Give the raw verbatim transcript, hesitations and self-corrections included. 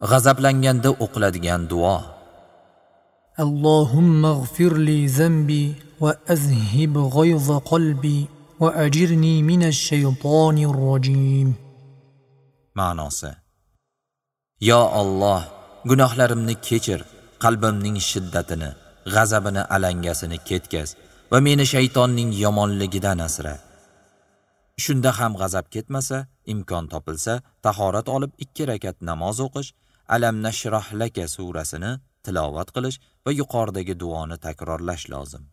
G'azablanganda o'qiladigan duo. اللهم اغفر لي ذنبي وأذهب غيظ قلبي وأجرني من الشيطان الرجيم. Ma'nosi: Yo Alloh, gunohlarimni kechir, qalbimning shiddatini, g'azabini alangasini ketkaz va meni shaytonning yomonligidan asra. Shunda ham g'azab ketmasa, imkon topilsa, tahorat olib ikki rakat namoz o'qish, Alam nashrah laka surasini tilovat qilish va yuqoridagi duoni takrorlash lozim.